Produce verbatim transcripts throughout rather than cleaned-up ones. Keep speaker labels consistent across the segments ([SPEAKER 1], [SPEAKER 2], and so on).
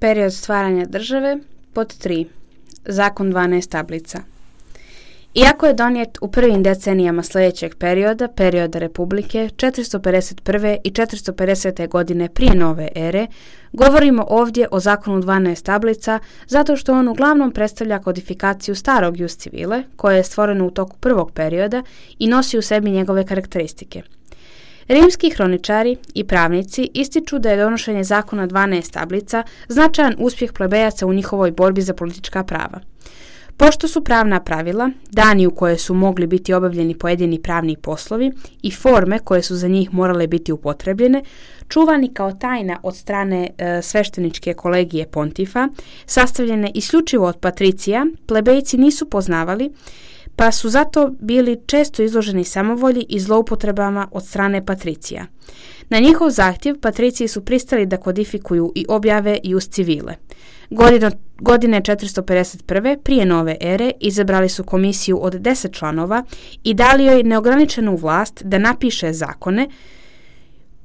[SPEAKER 1] Period stvaranja države. Pod tri. Zakon dvanaest tablica. Iako je donijet u prvim decenijama sljedećeg perioda, perioda Republike, četiristo pedeset prve i četiristo pedesete godine prije nove ere, govorimo ovdje o zakonu dvanaest tablica zato što on uglavnom predstavlja kodifikaciju starog jus civile, koje je stvoreno u toku prvog perioda i nosi u sebi njegove karakteristike. Rimski hroničari i pravnici ističu da je donošenje zakona dvanaest tablica značajan uspjeh plebejaca u njihovoj borbi za politička prava. Pošto su pravna pravila, dani u koje su mogli biti obavljeni pojedini pravni poslovi i forme koje su za njih morale biti upotrebljene, čuvani kao tajna od strane e, svešteničke kolegije pontifa, sastavljene isključivo od patricija, plebejci nisu poznavali, pa su zato bili često izloženi samovolji i zloupotrebama od strane patricija. Na njihov zahtjev patriciji su pristali da kodifikuju i objave jus civile. Godino, godine četiristo pedeset prve prije nove ere izabrali su komisiju od deset članova i dali joj neograničenu vlast da napiše zakone.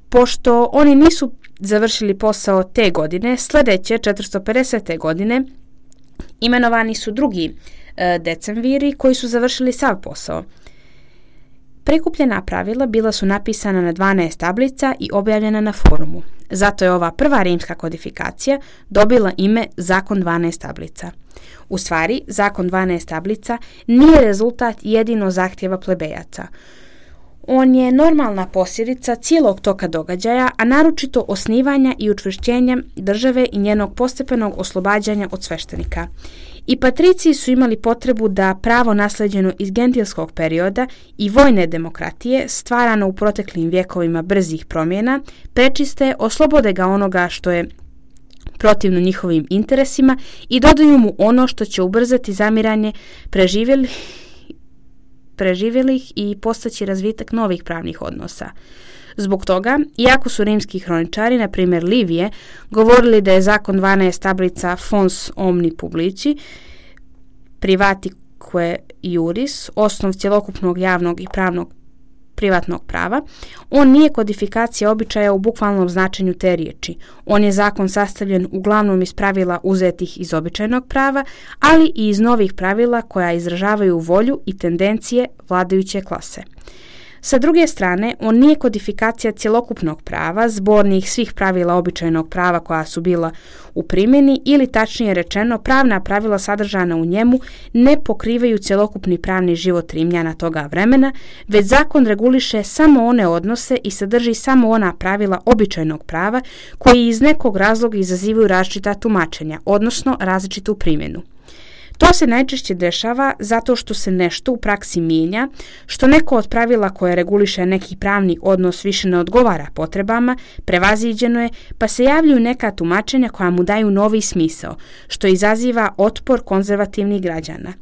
[SPEAKER 1] Pošto oni nisu završili posao te godine, sljedeće četiristo pedesete godine imenovani su drugi e, decemviri koji su završili sav posao. Prikupljena pravila bila su napisana na dvanaest tablica i objavljena na forumu. Zato je ova prva rimska kodifikacija dobila ime Zakon dvanaest tablica. U stvari, Zakon dvanaest tablica nije rezultat jedino zahtjeva plebejaca. On je normalna posljedica cijelog toka događaja, a naročito osnivanja i učvršćenja države i njenog postepenog oslobađanja od sveštenika. I patriciji su imali potrebu da pravo nasleđeno iz gentilskog perioda i vojne demokratije, stvarano u proteklim vjekovima brzih promjena, prečiste, oslobode ga onoga što je protivno njihovim interesima i dodaju mu ono što će ubrzati zamiranje preživjelih, preživjelih i postaći razvitak novih pravnih odnosa. Zbog toga, iako su rimski hroničari, na primjer Livije, govorili da je zakon dvanaest tablica fons omni publici, privatique iuris, osnov cjelokupnog javnog i pravnog privatnog prava, on nije kodifikacija običaja u bukvalnom značenju te riječi. On je zakon sastavljen uglavnom iz pravila uzetih iz običajnog prava, ali i iz novih pravila koja izražavaju volju i tendencije vladajuće klase. Sa druge strane, on nije kodifikacija cjelokupnog prava, zbornih svih pravila običajnog prava koja su bila u primjeni ili tačnije rečeno pravna pravila sadržana u njemu ne pokrivaju cjelokupni pravni život Rimljana toga vremena, već zakon reguliše samo one odnose i sadrži samo ona pravila običajnog prava koji iz nekog razloga izazivaju različita tumačenja, odnosno različitu primjenu. To se najčešće dešava zato što se nešto u praksi mijenja, što neko od pravila koje reguliše neki pravni odnos više ne odgovara potrebama, prevaziđeno je, pa se javljaju neka tumačenja koja mu daju novi smisao, što izaziva otpor konzervativnih građana.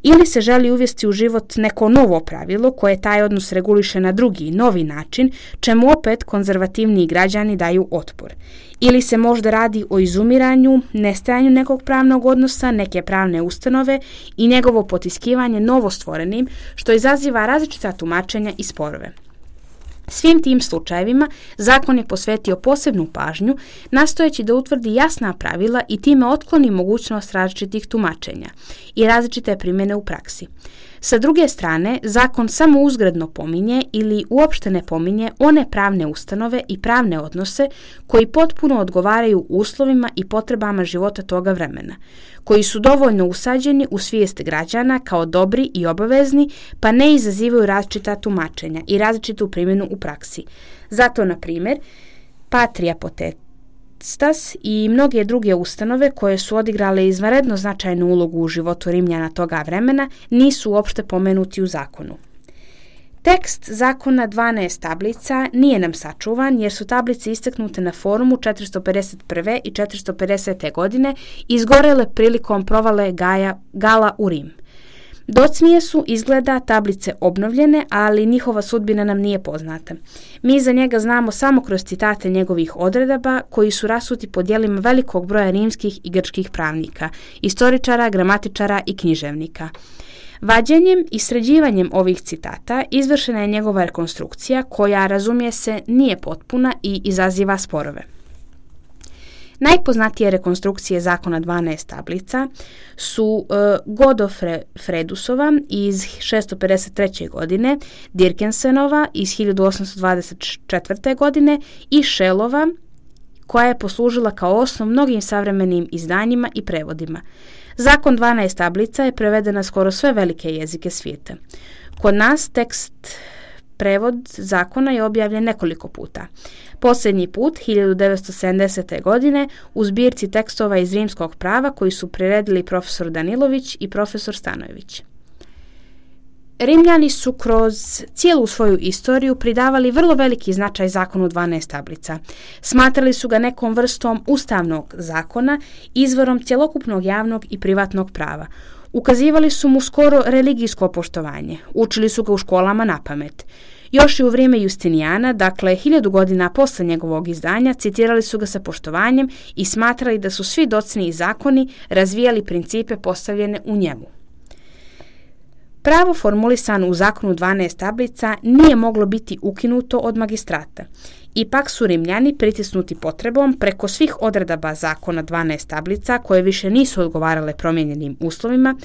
[SPEAKER 1] Ili se želi uvesti u život neko novo pravilo koje taj odnos reguliše na drugi, novi način, čemu opet konzervativniji građani daju otpor. Ili se možda radi o izumiranju, nestajanju nekog pravnog odnosa, neke pravne ustanove i njegovo potiskivanje novostvorenim, što izaziva različita tumačenja i sporove. Svim tim slučajevima zakon je posvetio posebnu pažnju, nastojeći da utvrdi jasna pravila i time otkloni mogućnost različitih tumačenja i različite primjene u praksi. Sa druge strane, zakon samo uzgredno pominje ili uopšte ne pominje one pravne ustanove i pravne odnose koji potpuno odgovaraju uslovima i potrebama života toga vremena, koji su dovoljno usađeni u svijest građana kao dobri i obavezni, pa ne izazivaju različita tumačenja i različitu primjenu u praksi. Zato, na primjer, Patria Potestas i mnoge druge ustanove koje su odigrale izvanredno značajnu ulogu u životu Rimljana toga vremena nisu uopšte pomenuti u zakonu. Tekst zakona dvanaest tablica nije nam sačuvan jer su tablice istaknute na forumu četiristo pedeset prve i četiristo pedesete godine izgorele prilikom provale Gaja, Gala u Rim. Docnije su izgleda tablice obnovljene, ali njihova sudbina nam nije poznata. Mi za njega znamo samo kroz citate njegovih odredaba koji su rasuti po djelima velikog broja rimskih i grčkih pravnika, istoričara, gramatičara i književnika. Vađenjem i sređivanjem ovih citata izvršena je njegova rekonstrukcija koja, razumije se, nije potpuna i izaziva sporove. Najpoznatije rekonstrukcije zakona dvanaest tablica su e, Godofredusova iz šesto pedeset treće. godine, Dirkensenova iz hiljadu osamsto dvadeset četvrte. godine i Shellova, koja je poslužila kao osnov mnogim savremenim izdanjima i prevodima. Zakon dvanaest tablica je preveden na skoro sve velike jezike svijeta. Kod nas tekst prevod zakona je objavljen nekoliko puta. Posljednji put, hiljadu devetsto sedamdesete. godine, u zbirci tekstova iz rimskog prava koji su priredili profesor Danilović i profesor Stanojević. Rimljani su kroz cijelu svoju istoriju pridavali vrlo veliki značaj zakonu dvanaest tablica. Smatrali su ga nekom vrstom ustavnog zakona, izvorom cjelokupnog javnog i privatnog prava. Ukazivali su mu skoro religijsko poštovanje, učili su ga u školama na pamet. Još i u vrijeme Justinijana, dakle hiljadu godina posle njegovog izdanja, citirali su ga sa poštovanjem i smatrali da su svi docniji zakoni razvijali principe postavljene u njemu. Pravo formulisano u zakonu dvanaest tablica nije moglo biti ukinuto od magistrata. Ipak su Rimljani, pritisnuti potrebom, preko svih odredaba zakona dvanaest tablica, koje više nisu odgovarale promijenjenim uslovima,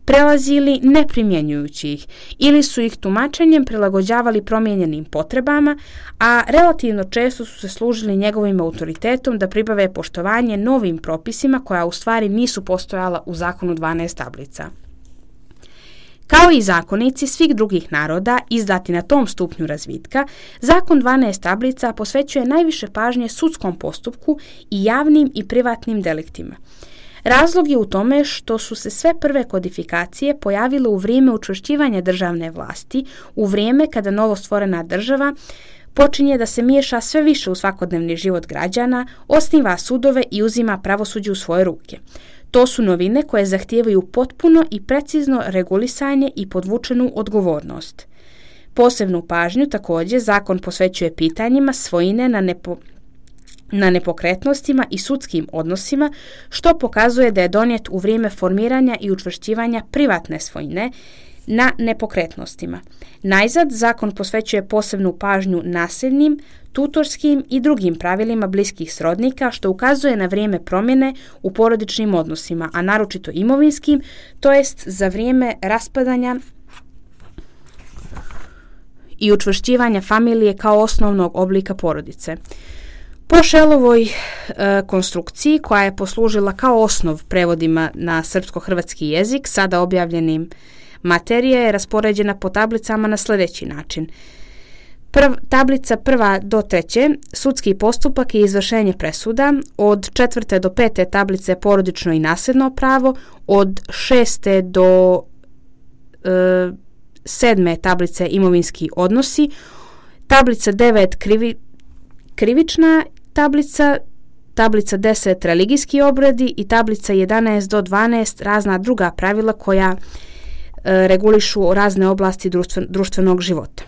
[SPEAKER 1] prelazili ne primjenjujući ih ili su ih tumačenjem prilagođavali promijenjenim potrebama, a relativno često su se služili njegovim autoritetom da pribave poštovanje novim propisima koja u stvari nisu postojala u zakonu dvanaest tablica. Kao i zakonici svih drugih naroda izdati na tom stupnju razvitka, zakon dvanaest tablica posvećuje najviše pažnje sudskom postupku i javnim i privatnim deliktima. Razlog je u tome što su se sve prve kodifikacije pojavile u vrijeme učvršćivanja državne vlasti, u vrijeme kada novostvorena država počinje da se miješa sve više u svakodnevni život građana, osniva sudove i uzima pravosuđe u svoje ruke. To su novine koje zahtijevaju potpuno i precizno regulisanje i podvučenu odgovornost. Posebnu pažnju također zakon posvećuje pitanjima svojine na, nepo, na nepokretnostima i sudskim odnosima, što pokazuje da je donijet u vrijeme formiranja i učvršćivanja privatne svojine na nepokretnostima. Najzad, zakon posvećuje posebnu pažnju nasljednim, tutorskim i drugim pravilima bliskih srodnika, što ukazuje na vrijeme promjene u porodičnim odnosima, a naročito imovinskim, to jest za vrijeme raspadanja i učvršćivanja familije kao osnovnog oblika porodice. Po Shellovoj e, konstrukciji, koja je poslužila kao osnov prevodima na srpsko-hrvatski jezik, sada objavljenim, materija je raspoređena po tablicama na sljedeći način. Prv, tablica prva do treće, sudski postupak i izvršenje presuda, od četvrte do pete tablice porodično i nasljedno pravo, od šeste do e, sedme tablice imovinski odnosi, tablica devet krivi, krivična tablica, tablica deset religijski obredi i tablica jedanaest do dvanaest razna druga pravila koja e, regulišu razne oblasti društven, društvenog života.